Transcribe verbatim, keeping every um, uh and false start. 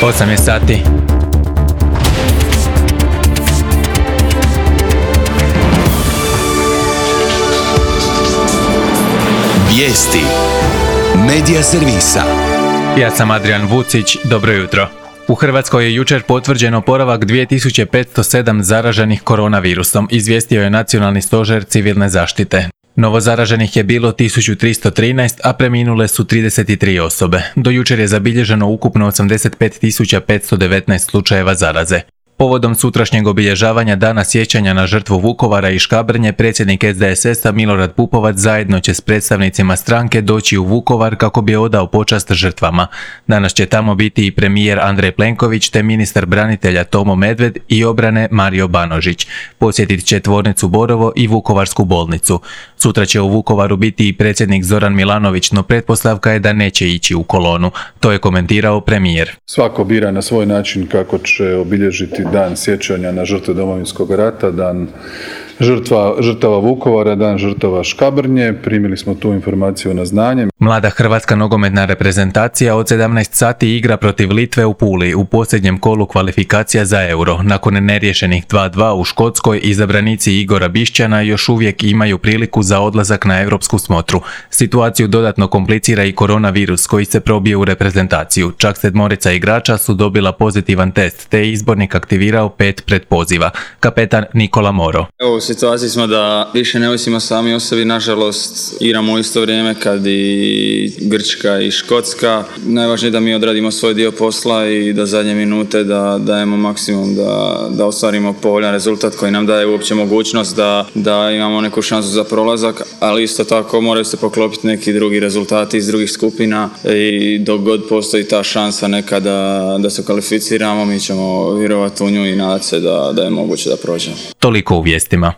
osam je sati. Vijesti Medija servisa. Ja sam Adrian Vucić, dobro jutro. U Hrvatskoj je jučer potvrđen oporavak dvije tisuće petsto sedam zaraženih koronavirusom, izvijestio je Nacionalni stožer civilne zaštite. Novo zaraženih je bilo tisuću tristo trinaest, a preminule su trideset tri osobe. Do jučer je zabilježeno ukupno osamdeset pet tisuća petsto devetnaest slučajeva zaraze. Povodom sutrašnjeg obilježavanja Dana sjećanja na žrtvu Vukovara i Škabrnje, predsjednik S D S S-a Milorad Pupovac zajedno će s predstavnicima stranke doći u Vukovar kako bi odao počast žrtvama. Danas će tamo biti i premijer Andrej Plenković te ministar branitelja Tomo Medved i obrane Mario Banožić. Posjetit će tvornicu Borovo i Vukovarsku bolnicu. Sutra će u Vukovaru biti i predsjednik Zoran Milanović, no pretpostavka je da neće ići u kolonu. To je komentirao premijer. Svako bira na svoj način kako će obilježiti Dan sjećanja na žrtve Domovinskog rata, dan žrtva, žrtava Vukovara, dan žrtava Škabrnje. Primili smo tu informaciju na znanje. Mlada hrvatska nogometna reprezentacija od sedamnaest sati igra protiv Litve u Puli u posljednjem kolu kvalifikacija za Euro. Nakon neriješenih dva dva u Škotskoj, izabranici Igora Bišćana još uvijek imaju priliku za odlazak na europsku smotru. Situaciju dodatno komplicira i koronavirus koji se probije u reprezentaciju. Čak sedmorica igrača su dobila pozitivan test, te je izbornik aktivirao pet pretpoziva. Kapetan Nikola Moro. Evo, u situaciji smo da više ne ovisimo sami o sebi, nažalost igramo u isto vrijeme kad i Grčka i Škotska. Najvažnije je da mi odradimo svoj dio posla i da zadnje minute da dajemo maksimum da, da ostvarimo povoljan rezultat koji nam daje uopće mogućnost da, da imamo neku šansu za prolazak, ali isto tako moraju se poklopiti neki drugi rezultati iz drugih skupina i dok god postoji ta šansa neka da, da se kvalificiramo, mi ćemo vjerovati u nju i nadati se da, da je moguće da prođemo. Toliko u vijestima.